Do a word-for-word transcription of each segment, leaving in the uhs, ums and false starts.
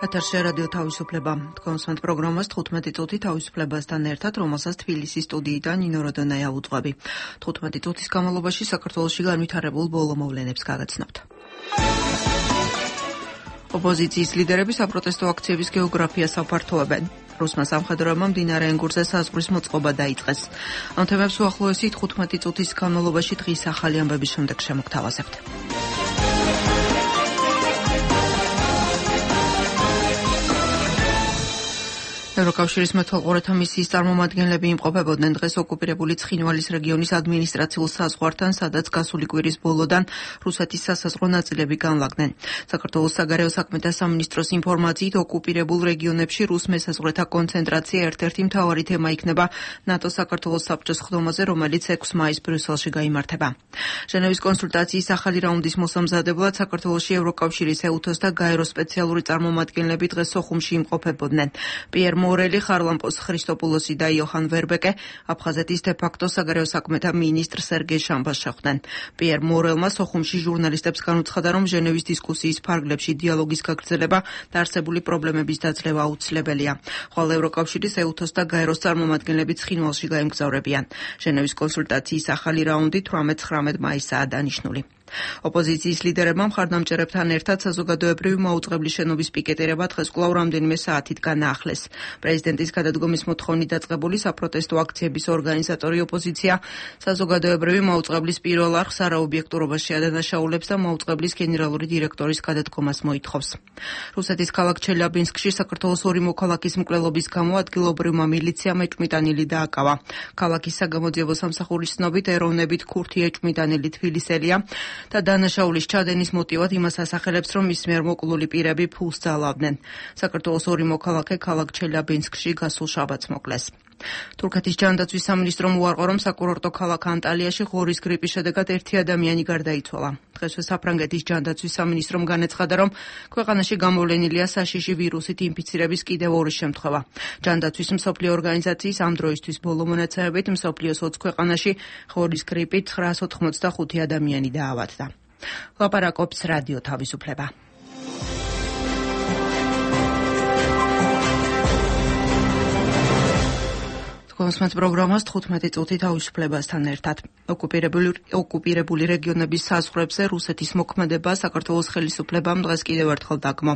ეთერში რადიო თავისუფლება. თქვენს პროგრამას თხუთმეტი წუთი თავისუფლებასთან ერთად, რომელსაც თბილისის სტუდიიდან ნინო როდონაია უძღვები. თხუთმეტი წუთის განმავლობაში საქართველოში განვითარებულ ბოლო მოვლენებს გაგაცნობთ. ოპოზიციის ლიდერები საპროტესტო აქციების გეოგრაფიას აფართოვებენ. რუსმა სამხედროებმა მდინარე ენგურზე საზღვრის მოწყობა დაიწყეს. ამ თემებს უახლოესი თხუთმეტი წუთის განმავლობაში დღის ახალი ამბების შემდეგ შემოგთავაზებთ. ევროკავშირის მეთვალყურეთა მისიის წარმომადგენლები იმყოფებოდნენ დღეს ოკუპირებული ცხინვალის რეგიონის ადმინისტრაციულ საზღვართან, სადაც გასული კვირის ბოლოდან რუსეთის სასაზღვრო ნაწილები განლაგდნენ. საქართველოს საგარეო საქმეთა სამინისტროს ინფორმაციით, ოკუპირებულ რეგიონებში რუს მესაზღვრეთა კონცენტრაცია ერთ-ერთი მთავარი თემა იქნება ნატოს საქართველოს საბჭოს ხდომაზე, რომელიც ექვსი მაისს ბრიუსელში გაიმართება. ჟენევის კონსულტაციის ახალი რაუნდის მოსამზადებლად საქართველოში ევროკავშირის ეუთოს და გაეროს სპეციალური წარმომადგენლები დღეს სოხუმში იმყოფებოდნენ. პიერ მორელი, ხარლამპოს ხრისტოპულოსი და იოჰან ვერბეკე აფხაზეთის დე-ფაქტო საგარეო საქმეთა მინისტრ სერგეი შამბას შეხვდნენ. პიერ მორელმა სოხუმში ჟურნალისტებს განუცხადა, რომ ჟენევის დისკუსიის ფარგლებში დიალოგის გაგრძელება და არსებული პრობლემების დაძლევა აუცილებელია. ხოლო ევროკავშირის ეუთოს და გაეროს წარმომადგენლები ცხინვალში გაემგზავრებიან. ჟენევის კონსულტაციის ახალი რაუნდი თვრამეტ ცხრამეტ მაისსაა დანიშნული. ოპოზიციის ლიდერებმა მხარდამჭერებთან ერთად საზოგადოებრივი მაუწყებლის შენობის პიკეტირება დღეს კვლავ რამდენიმე საათით განაახლეს. პრეზიდენტის გადადგომის მოთხოვნით დაწყებული საპროტესტო აქციების ორგანიზატორი ოპოზიცია საზოგადოებრივი მაუწყებლის პირველ არხს არაობიექტურობას შეადანაშაულებს და მაუწყებლის გენერალური დირექტორის გადადგომას მოითხოვს. რუსეთის ქალაქ ჩელიაბინსკში საქართველოს ორი მოქალაქის მკვლელობის გამო ადგილობრივმა მილიციამ ეჭვმიტანილი დააკავა. ქალაქის საგამოძიებო სამსახურის ცნობით, ეროვნებით ქურთი ეჭვმიტანილი თბილისელია და დანაშაულის ჩადენის მოტივად იმას ასახელებს, რომ მის მიერ მოკლული პირები ფულს ძალავდნენ. საქართველოს ორი მოქალაქე ქალაქ ჩელიაბინსკში გასულ შაბათს მოკლეს. თურქეთის ჯანდაცვის სამინისტრომ უარყო, რომ საკურორტო ქალაქ ანტალიაში ღორის გრიპის შედეგად ერთი ადამიანი გარდაიცვალა. დღესვე საფრანგეთის ჯანდაცვის სამინისტრომ განაცხადა, რომ ქვეყანაში გამოვლენილია საშიში ვირუსით ინფიცირების კიდევ ორი შემთხვევა. ჯანდაცვის მსოფლიო ორგანიზაციის ამ დროისთვის ბოლო მონაცემებით მსოფლიოს ოცი ქვეყანაში ღორის გრიპით ცხრაას ოთხმოცდახუთი ადამიანი დაავადდა. ლაპარაკობს რადიო თავისუფლება. კონსმეთ პროგრამას თხუთმეტი წუთი თავისუფლებასთან ერთად. ოკუპირებული ოკუპირებული რეგიონების საზღვრებზე რუსეთის მოქმედება საქართველოს ხელისუფლებამ დღეს კიდევ ერთხელ დაგმო.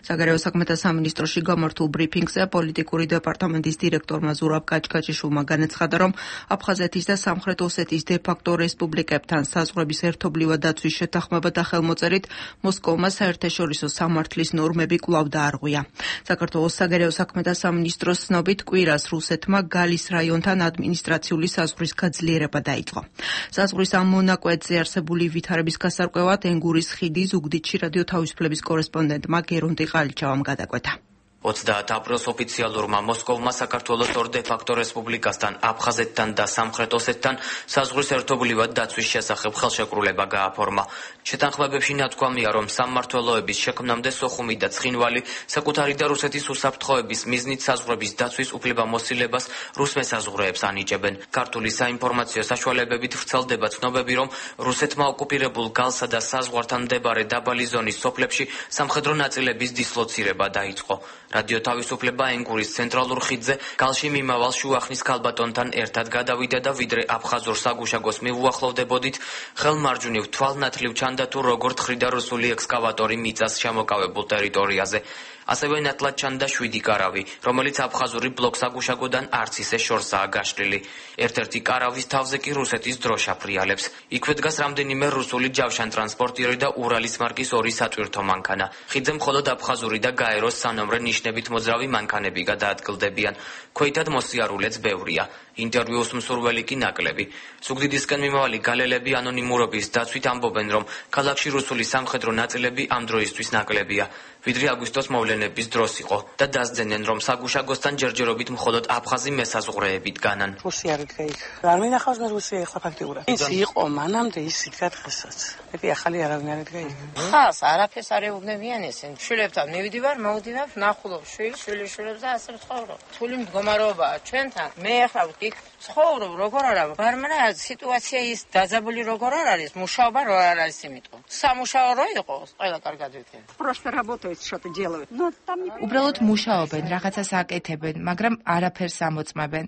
საგარეო საქმეთა სამინისტროში გამართულ ბრიფინგზე პოლიტიკური დეპარტამენტის დირექტორმა ზურაბ კაჭკაჭიშვილმა განაცხადა, რომ აფხაზეთის და სამხრეთ ოსეთის დე-ფაქტო რესპუბლიკებთან საზღვრების ერთობლივად დაცვის შეთანხმება და ხელმოწერით მოსკოვმა საერთაშორისო სამართლის ნორმები კვლავ დაარღვია. საქართველოს საგარეო საქმეთა სამინისტროს ცნობით, კვირას რუსეთმა გალის რაიონთან ადმინისტრაციული საზღვრის გაძლიერება დაიწყო. საზღვრის ამ მონაკვეთზე არსებული ვითარების გასარკვევად ენგურის ხიდი ზუგდიდში რადიო თავისუფლების კორესპონდენტმა გერონტი ყალიჩავამ გადაკვეთა. ოცდაათ აპრილს ოფიციალურმა მოსკოვმა საქართველოს ორ დე-ფაქტო რესპუბლიკასთან, აფხაზეთთან და სამხრეთ ოსეთთან საზღვრის ერთობლივად დაცვის შესახებ ხელშეკრულება გააფორმა. შეთანხმებებში ნათქვამია, რომ სამმართველოების შექმნამდე სოხუმი და ცხინვალი საკუთარი და რუსეთის უსაფრთხოების მიზნით საზღვრების დაცვის უფლებამოსილებას რუს მესაზღვრეებს ანიჭებენ. ქართული საინფორმაციო საშუალებებით ვრცელდება ცნობები, რომ რუსეთმა ოკუპირებულ გალსა და საზღვართან მდებარე დაბალი ზონის სოფლებში სამხედრო ნაწილების დისლოცირება დაიწყო. რადიო თავისუფლება ენგურის ცენტრალურ ხიდზე გალში მიმავალ შუახნის ქალბატონთან ერთად გადავიდა და ვიდრე აფხაზურ საგუშაგოს მიუახლოვდებოდით, ხელმარჯვნივ თვალნათლივ ჩანდა თუ როგორ თხრიდა რუსული ექსკავატორი მიწას შემოკავებულ ტერიტორიაზე. ასევე ნათლად ჩანდა შვიდი კარავი, რომელიც აფხაზური ბლოკსაგუშაგოდან არც ისე შორსაა გაშლილი. ერთ-ერთი კარავის თავზე კი რუსეთის დროშა ფრიალებს. იქვე დგას რამდენიმე რუსული ჯავშანტრანსპორტიერი და ურალის მარკის ორი სატვირთო მანქანა. ხიდზე მხოლოდ აფხაზური და გაეროს სანომრე ნიშნებით მოძრავი მანქანები გადაადგილდებიან. ქვეითად მოსიარულეც ბევრია. ინტერვიუს მსურველი კი ნაკლები. ზუგდიდისკენ მიმავალი გალელები ანონიმურობის დაცვით ამბობენ, რომ ქალაქში რუსული სამხედრო ნაწილები ამ დროისთვის ნაკლებია. ვიდრე აგვისტოს მოვლენების დროს იყო და დასძენენ, რომ საგუშაგოსთან ჯერჯერობით მხოლოდ აფხაზი მესაზღვრეებით განან. რუსი არ იდგა იქ. არ მინახავს მე რუსია ახლა ფაქტიურად. ის იყო მანამდე, ის იდგა დღესაც. მეტი ახალი არავინ არ იდგა იქ. ხას არაფერს არ ეუბნებიან ესენ. შვილებთან მივიდივარ, მოვდივარ, ნახულობ შვილს, შვილიშვილებს და ასე ვცხოვრობ. თული მდგომარეობაა ჩვენთან. მე ახლა იქ ცხოვრობ, როგორ არა, ბარმენა სიტუაცია ის დაძაბული როგორ არ არის, მუშაობა რო არ არის იმიტომ. სამუშაო რო იყოს, ყველა კარგად ვიქნება. Просто работаю что-то делают. Но там не უბრალოდ მუშაობენ, რაღაცას აკეთებენ, მაგრამ არაფერს ამოწმებენ.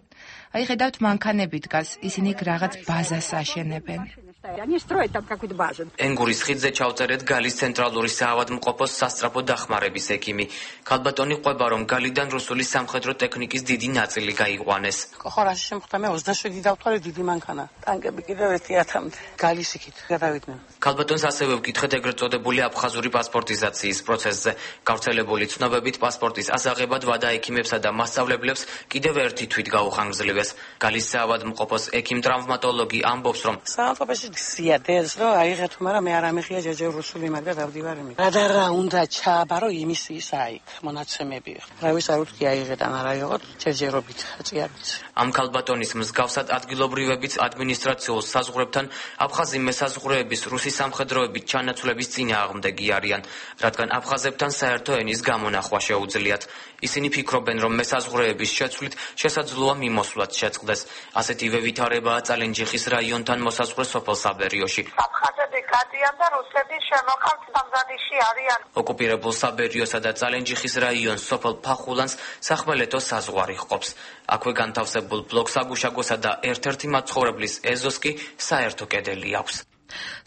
აი ხედავთ მანქანები დგას, ისინი რაღაც ბაზას აშენებენ. Они строят там какую-то базу. ენგურის ხიდზე ჩავწერეთ გალის ცენტრალური საავადმყოფოს სასწრაფო დახმარების ექიმი. ქალბატონი ყვება, რომ გალიდან რუსული სამხედრო ტექნიკის დიდი ნაწილი გაიყვანეს. ხო, რაში შემხვდა მე ოცდაშვიდი დავთვალე დიდი მანქანა. ტანკები კიდევ ერთი ათამდე. გალის იქით გადავიდნენ. ქალბატონს ასევე ვკითხეთ ეგრეთ წოდებული აფხაზური პასპორტიზაციის პროცესზე. გავრცელებული ცნობებით პასპორტის ასაღებად ვადა ექიმებსა და მასწავლებლებს კიდევ ერთი თვით გაუხანგრძლივეს. გალის საავადმყოფოს ექიმ-ტრავმატოლოგი ამბობს, რომ საავადმყოფოში სიადეს რომ აიღეთ, მაგრამ მე არ ამეხია ჯერჯერ რუსული მაგდა დავდივარ იმით. რა უნდა ჩააბარო იმის ის აიქ მონაცემები. რავის არ უთქი აიღეთ ან არ აიღოთ ჯერჯერობით აწიარით. ამ ქალბატონის მსგავსად ადგილობრივებიც ადმინისტრაციულ საზღვრებთან აფხაზი მესაზღვრეების რუსი სამხედროებით ჩანაცვლების წინააღმდეგი არიან, რადგან აფხაზებთან საერთო ენის გამონახვა შეუძლიათ. ისინი ფიქრობენ, რომ მესაზღვრეების შეცვლით შესაძლოა მიმოსვლაც შეწყდეს. ასეთივე ვითარებაა წალენჯიხის რაიონთან მოსაზღვრე სოფელ საბერიოში. აფხაზები გადიან და რუსები შემოყავთ სამზადიში არიან. ოკუპირებულ საბერიოსა და წალენჯიხის რაიონს სოფელ ფახულანს სახმელეთო საზღვარი ჰყოფს. აქვე განთავსებულ ბლოკ საგუშაგოსა და ერთ-ერთი მაცხოვრებლის ეზოს კი საერთო კედელი აქვს.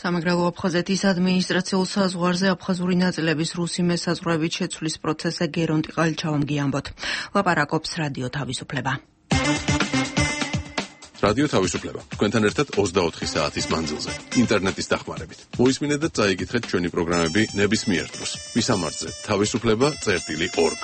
სამეგრელო აფხაზეთის ადმინისტრაციულ საზღვარზე აფხაზური ნაწილების რუსი მესაზღვრეებით შეცვლის პროცესზე გერონტი ყალიჩავამ გიამბოთ. ლაპარაკობს რადიო თავისუფლება. რადიო თავისუფლება. თქვენთან ერთად ოცდაოთხი საათის მანძილზე, ინტერნეტის დახმარებით. მოისმინეთ და წაიკითხეთ ჩვენი პროგრამები ნებისმიერ დროს. მისამართზე თავისუფლება წერტილი ორგ.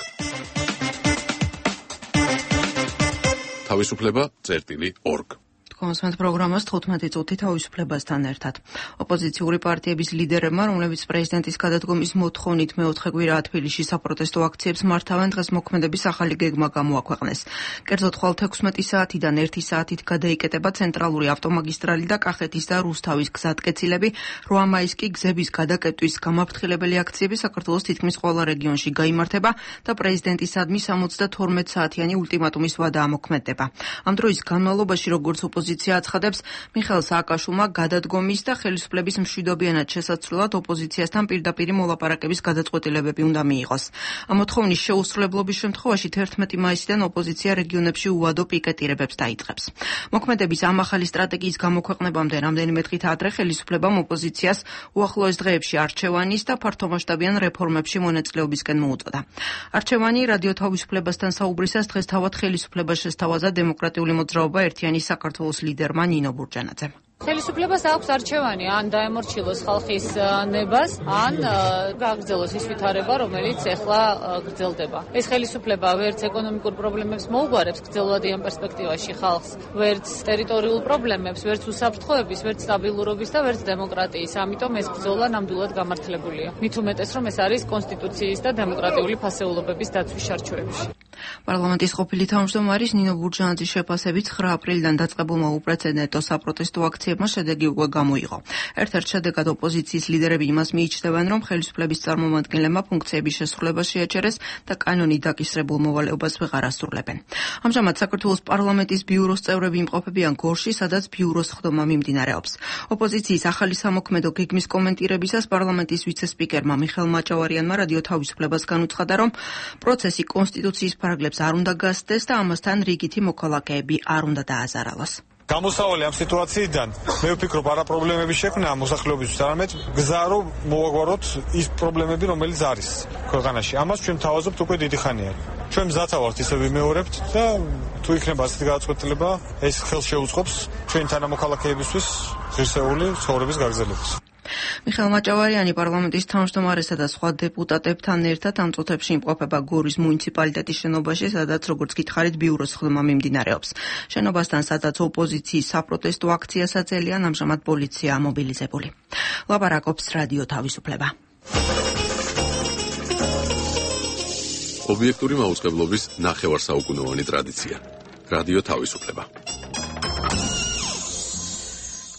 თავისუფლება წერტილი ორგ. კონსმეთ პროგრამას თხუთმეტი წუთი თავისუფლებასთან ერთად. ოპოზიციური პარტიების ლიდერებმა, რომლებიც პრეზიდენტის გადადგომის მოთხოვნით მეოთხე კვირაა თბილისში საპროტესტო აქციებს მართავენ, დღეს მოქმედების ახალი გეგმა გამოაქვეყნეს. კერძოდ ხვალ თექვსმეტი საათიდან ერთი საათით გადაიკეტება ცენტრალური ავტომაგისტრალი და კახეთის და რუსთავის გზატკეცილები, რვა მაისს კი გზების გადაკეტვის გამაფრთხილებელი აქციები საქართველოს თითქმის ყველა რეგიონში გაიმართება და პრეზიდენტისადმი სამოცდათორმეტ საათიანი ულტიმატუმის ვადა ამოქმედდება. ამ დროის განმავლობაში, როგორც ოპოზიცია აცხადებს, მიხეილ სააკაშვილმა გადადგომის და ხელისუფლების მშვიდობიანად შესაცვლელად ოპოზიციასთან პირდაპირი მოლაპარაკების გადაწყვეტილებები უნდა მიიღოს. ამ მოთხოვნის შეუსრულებლობის შემთხვევაში თერთმეტი მაისიდან ოპოზიცია რეგიონებში უვადო პიკეტირებებს დაიწყებს. მოქმედების ამ ახალი სტრატეგიის გამოქვეყნებამდე რამდენიმე დღით ადრე ხელისუფლებამ ოპოზიციას უახლოეს დღეებში არჩევანის და ფართომასშტაბიან რეფორმებში მონაწილეობისკენ მოუწოდა. არჩევანი რადიო თავისუფლებასთან საუბრისას დღეს თავად ხელისუფლებას შესთავაზა დემოკრატიული მოძრაობა ერთიანი საქართველოს ლიდერმა ნინო ბურჯანაძემ. ხელისუფლებას აქვს არჩევანი, ან დაემორჩილოს ხალხის ნებას, ან გაგრძელოს ის ვითარება, რომელიც ეხლა გრძელდება. ეს ხელისუფლება ვერც ეკონომიკურ პრობლემებს მოუგვარებს გრძელვადიან პერსპექტივაში ხალხს, ვერც ტერიტორიულ პრობლემებს, ვერც უსაფრთხოების, ვერც სტაბილურობის და ვერც დემოკრატიის. ამიტომ ეს ბრძოლა ნამდვილად გამართლებულია. მით უმეტეს, რომ ეს არის კონსტიტუციის და დემოკრატიული ფასეულობების დაცვის შარჩოებში. პარლამენტის ყოფილი თავმჯდომარის ნინო ბურჯანაძის შეფასებით ცხრა აპრილიდან დაწყებულმა უპრეცედენტო საპროტესტო აქციებმა შედეგი უკვე გამოიღო. ერთ-ერთ შედეგად ოპოზიციის ლიდერები იმას მიიჩნევენ, რომ ხელისუფლების წარმომადგენლებმა ფუნქციების შესრულება შეაჩერეს და კანონით დაკისრებულ მოვალეობას ვეღარ ასრულებენ. ამჟამად საქართველოს პარლამენტის ბიუროს წევრები იმყოფებიან გორში, სადაც ბიუროს ხდომა მიმდინარეობს. ოპოზიციის ახალი სამოქმედო გეგმის კომენტირებისას პარლამენტის ვიცე-სპიკერმა მიხეილ მაჭავარიანმა რადიო თავისუფლებას განუცხადა, რომ პროცესი კონსტიტუციის ფარგლებს არ უნდა გასცდეს და ამასთან რიგითი მოქალაქეები არ უნდა დააზარალოს. გამოსავალი ამ სიტუაციიდან მე ვფიქრობ არა პრობლემების შექმნა მოსახლეობისთვის, არამედ გზა რომ მოვაგვაროთ ის პრობლემები, რომელიც არის ქვეყანაში. ამას ჩვენ თავაზობთ უკვე დიდი ხანია. ჩვენ მზათა ვართ ისე ვიმეორებთ და თუ იქნება ასეთი გადაწყვეტილება, ეს ხელს შეუწყობს ჩვენ თანამოქალაქეებისთვის ღირსეული ცხოვრების გაგრძელებას. მიხეილ მაჭავარიანი პარლამენტის თავმჯდომარესა და სხვა დეპუტატებთან ერთად ამ წუთებში იმყოფება გორის მუნიციპალიტეტის შენობაში, სადაც როგორც გითხარით ბიუროს ხდომა მიმდინარეობს. შენობასთან, სადაც ოპოზიციის საპროტესტო აქციას აძელიან, ამჟამად პოლიცია მობილიზებული. ლაპარაკობს რადიო თავისუფლება. ობიექტური მაუწყებლობის ნახევარსაუკუნოვანი ტრადიცია. რადიო თავისუფლება.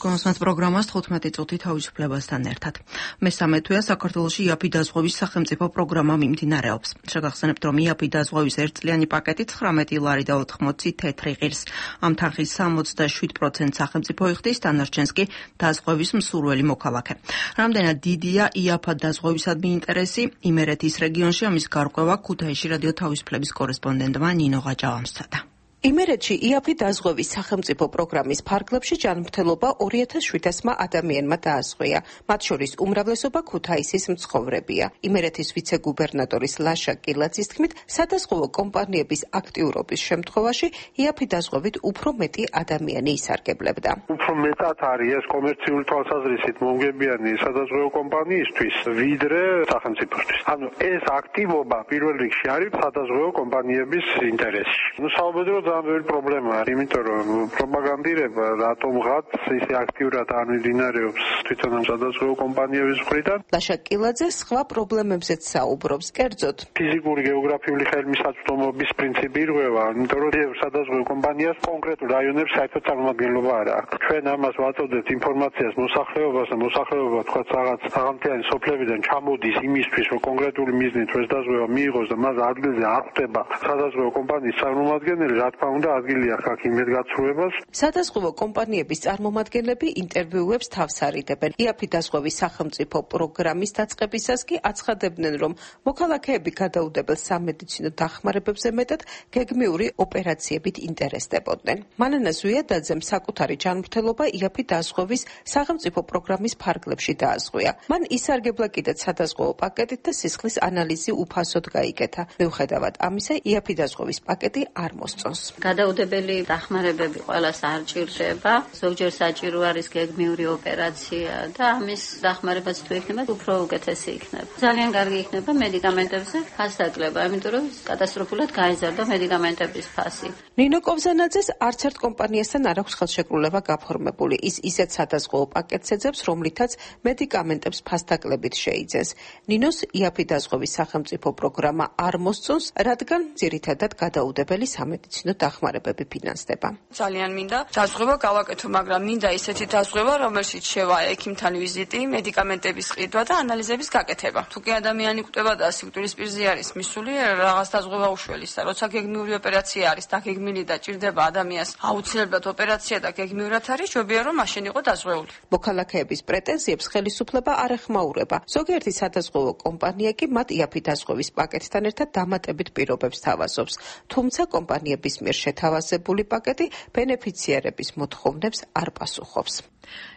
კონსმეთ პროგრამას თხუთმეტი წუთი თავისუფლებასთან ერთად. მესამე თვეა საქართველოში იაფი დაზღვევის სახელმწიფო პროგრამა მიმდინარეობს. შეგახსენებთ, რომ იაფი დაზღვევის ერთწლიანი პაკეტი ცხრამეტი ლარი და ოთხმოცი თეთრი ღირს. ამ თანხის სამოცდაშვიდ პროცენტს სახელმწიფო იხდის, დანარჩენს კი დაზღვევის მსურველი მოქალაქე. რამდენად დიდია იაფად დაზღვევისადმი ინტერესი, იმერეთის რეგიონში ამის გარკვევა ქუთაისში რადიო თავისუფლების კორესპონდენტმა ნინო ღაჯავამ სცადა. იმერეთში იაფი დაზღვევის სახელმწიფო პროგრამის ფარგლებში ჯანმრთელობა ორი ათას შვიდასმა ადამიანმა დააზღვია. მათ შორის უმრავლესობა ქუთაისის მცხოვრებია. იმერეთის ვიცე-გუბერნატორის ლაშა კილაძის თქმით, სადაზღვევო კომპანიების აქტიურობის შემთხვევაში იაფი დაზღვევით უფრო მეტი ადამიანი ისარგებლებდა. უფრო მეტად არის ეს კომერციული თვალსაზრისით მომგებიანი სადაზღვევო კომპანიისთვის, ვიდრე სახელმწიფოსთვის. ანუ ეს აქტივობა პირველ რიგში არის სადაზღვევო კომპანიების ინტერესში. ნუ საუბედრო ძალიან ბევრი პრობლემაა, იმიტომ რომ პროპაგანდირება რატომღაც ისე აქტიურად არ მიმდინარეობს თვითონ ამ სადაზღვევო კომპანიების მხრიდან. ლაშა კილაძე სხვა პრობლემებზეც საუბრობს, კერძოდ ფიზიკური გეოგრაფიული ხელმისაწვდომობის პრინციპი ირღვევა, იმიტომ რომ სადაზღვევო კომპანიას კონკრეტულ რაიონებს საერთოდ წარმომადგენლობა არ აქვს. ჩვენ ამას ვაწოდებთ ინფორმაციას მოსახლეობას და მოსახლეობა თქვა რაღაც საღამთიანი სოფლებიდან ჩამოდის იმისთვის, რომ კონკრეტული მიზნით ეს დაზღვევა მიიღოს და მას ადგილზე არ ხვდება სადაზღვევო კომპანიის წარმომადგენელი, რა თქმა უნდა ადგილი აქვს აქ იმედგაცრუებას. სადაზღვევო კომპანიების წარმომადგენლები ინტერვიუებს თავს არიდებენ. იაფი დაზღვევის სახელმწიფო პროგრამის დაწყებისას კი აცხადებდნენ, რომ მოქალაქეები გადაუდებელ სამედიცინო დახმარებებზე მეტად გეგმიური ოპერაციებით ინტერესდებოდნენ. მანანა ზვიადაძემ საკუთარი ჯანმრთელობა იაფი დაზღვევის სახელმწიფო პროგრამის ფარგლებში დააზღვია. მან ისარგებლა კიდეც სადაზღვევო პაკეტით და სისხლის ანალიზი უფასოდ გაიკეთა. მიუხედავად ამისა, იაფი დაზღვევის პაკეტი არ მოსწონს. გადაუდებელი დახმარებები ყველას არ ჭირდება. ზოგჯერ საჭირო არის გეგმიური ოპერაცია და ამის დახმარებაც თუ იქნება, უფრო უკეთესი იქნება. ძალიან კარგი იქნება მედიკამენტებზე ფასდაკლება, იმიტომ რომ კატასტროფულად გაიზარდა მედიკამენტების ფასი. ნინო კობზანაძეს არც ერთ კომპანიასთან არ აქვს ხელშეკრულება გაფორმებული. ის ისეთ სადაზღვევო პაკეტს ეძებს, რომლითაც მედიკამენტებს ფასდაკლებით შეიძენს. ნინოს იაფი დაზღვევის სახელმწიფო პროგრამა არ მოსწონს, რადგან ძირითადად გადაუდებელი სამედიცინო დახმარებები ფინანსდება. ძალიან მინდა დაზღვევა გავაკეთო, მაგრამ მინდა ისეთი დაზღვევა, რომელშიც შევა ექიმთან ვიზიტი, მედიკამენტების ყიდვა და ანალიზების გაკეთება. თუ კი ადამიანი კვდება და სიკვდილის პირზე არის მისული, რაღაც დაზღვევა უშველის და როცა გეგმიური ოპერაცია არის და გეგმილი და ჭირდება ადამიანს აუცილებლად ოპერაცია და გეგმიურად არის, ჯობია რომ მაშინ იყო დაზღვეული. მოქალაქეების პრეტენზიებს ხელისუფლება არ ეხმაურება. ზოგიერთი სადაზღვევო კომპანია კი მათ იაფი დაზღვევის პაკეტთან ერთად დამატებით პირობებს თავაზობს. თუმცა კომპანიების მიერ შეთავაზებული პაკეტი ბენეფიციარების მოთხოვნებს არ პასუხობს.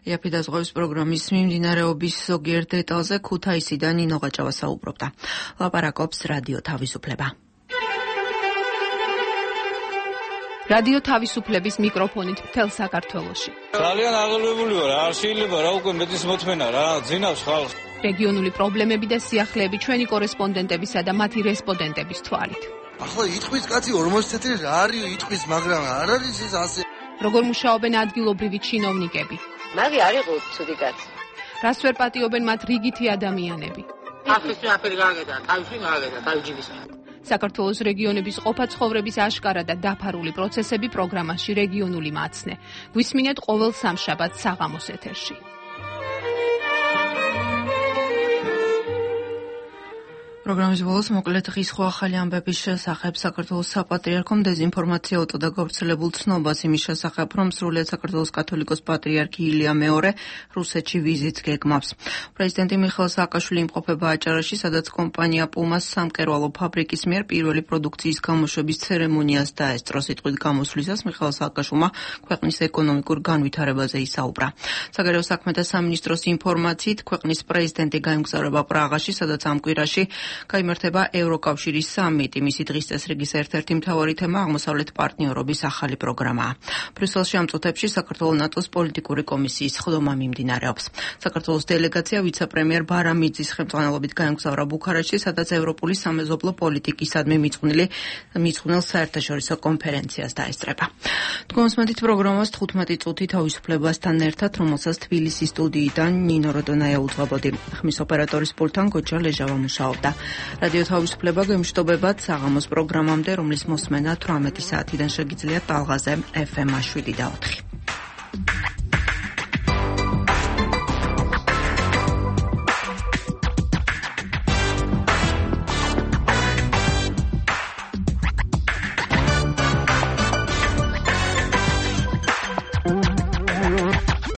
იაფი დაზღვევის პროგრამის მიმდინარეობის ზოგიერთ დეტალზე ქუთაისიდან ნინო ღაჯავა საუბრობდა. ლაპარაკობს რადიო თავისუფლება. რადიო თავისუფლების მიკროფონით მთელ საქართველოში. ძალიან აღელვებული ვარ, არ შეიძლება რა უკვე მეტის მოთმენა რა, ძინავს ხალხს. რეგიონული პრობლემები და სიახლეები ჩვენი კორესპონდენტებისა და მათი რესპონდენტების თვალით. ახლა იტყვის კაცი ორმოცი თეთრი რა არის იტყვის, მაგრამ არ არის ეს ასე. როგორ მუშაობენ ადგილობრივი ჩინოვნიკები? მაგი არ იყო ცუდი კაცი. რას ვერ პატიობენ მათ რიგითი ადამიანები? ახლის ნაფერი გააგედა, თავში გააგედა, თავჯიბის. საქართველოს რეგიონების ყოფა ცხოვრების აშკარა და დაფარული პროცესები პროგრამაში რეგიონული მაცნე. გვისმინეთ ყოველ სამშაბათს საღამოს ეთერში. პროგრამის ბოლოს მოკლედ ღირსხო ახალი ამბების შესახებ საქართველოს საპატრიარქომ დეზინფორმაცია უტყდა გავრცელებულ ცნობას იმის შესახებ, რომ სრულიად საქართველოს კათოლიკოს პატრიარქი ილია მეორე რუსეთში ვიზიტს გეგმავს. პრეზიდენტი მიხეილ სააკაშვილი იმყოფება აჭარაში, სადაც კომპანია პუმას სამკერვალო ფაბრიკის მიერ პირველი პროდუქციის გამოშვების ცერემონიას დაესწრო. სიტყვით გამოსვლისას მიხეილ სააკაშვილმა ქვეყნის ეკონომიკურ განვითარებაზე ისაუბრა. საგარეო საქმეთა სამინისტროს ინფორმაციით, ქვეყნის პრეზიდენტი გაემგზავრება პრაღაში, სადაც ამ კვირაში გაიმართება ევროკავშირის სამიტი. მისი დღის წესრიგის ერთ-ერთი მთავარი თემა აღმოსავლეთ პარტნიორობის ახალი პროგრამაა. ბრიუსელში ამ წუთებში საქართველოს ნატოს პოლიტიკური კომისიის ხდომა მიმდინარეობს. საქართველოს დელეგაცია ვიცე-პრემიერ ბარამიძის ხელმძღვანელობით გაემგზავრა ბუქარესტში, სადაც ევროპული სამეზობლო პოლიტიკისადმი მიძღვნილი მიძღვნილ საერთაშორისო კონფერენციას დაესწრება. თქვენსმენთ პროგრამას თხუთმეტი წუთი თავისუფლებასთან ერთად, რომელსაც თბილისის სტუდიიდან ნინო როდონაია უძღვებოდი. ხმის ოპერატორის პულტთან გოჯა ლეჟავა მუშაობდა. რადიო თავისუფლება გემშვიდობებად საღამოს პროგრამამდე, რომლის მოსმენა თვრამეტი საათიდან შეგიძლიათ ტალღაზე ეფ ემ შვიდი და ოთხი.